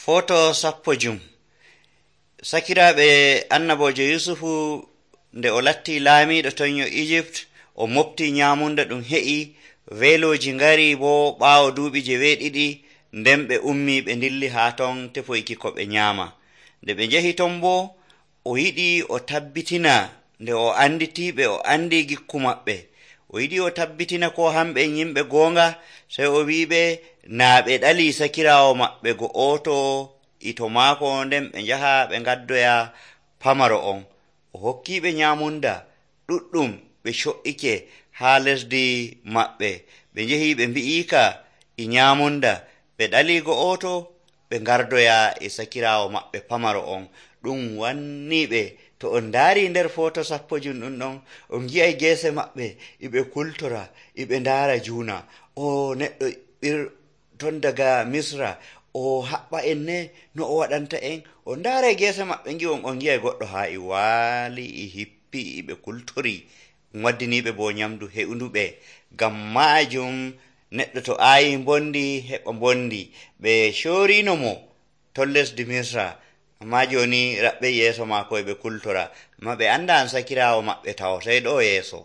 Foto 10 sakiraaɓe annabojo Yusufu nde o latti laamiiɗo tonyo Egypt o mofti nyamunda ɗum he'i veloji ngari bo ɓaawo duuɓi 2 nden ɓe ummi ɓe dilli haa ton tefoyki ko ɓe nyama. Nde ɓe njehi ton bo o yiɗi o tabbitina nde o anditiɓe o andi gikku maɓɓe o yiɗi o tabbitina ko hamɓe yimɓe goonga, sey o wiɓe naa ɓe ɗali sakiraawo maɓɓe go'oto ito maako nden ɓe njaha ɓe ngaddoya pamaro on. O hokkiɓe nyamunda ɗuɗɗum ɓe co'ike haa lesdi maɓɓe. Ɓe njehi ɓe mbi'ika e nyamunda ɓe ɗali go'oto ɓe ngardoya e sakiraawo maɓɓe pamaro on. Ɗum wanniɓe to on ndaari nder foto 10 ɗum ɗon on gi'ay geese maɓɓe iɓe kultora iɓe ndaara juna. O neɗɗo ton daga Misra o haɓɓa en ne no o waɗanta en. O ndaara geese maɓɓe ngi'on on gi'ay goɗɗo haa i waali i hippi iɓe kultori waddiniɓe bo nyamdu he'unduɓe. Ngam maajum neɗɗo to aayi bondi heɓa bondi. Ɓe coorino mo ton lesdi Misra, amma joni raɓɓe yeeso maako e ɓe kultora, amma ɓe anda an sakiraawo maɓɓe tawotay ɗo yeeso.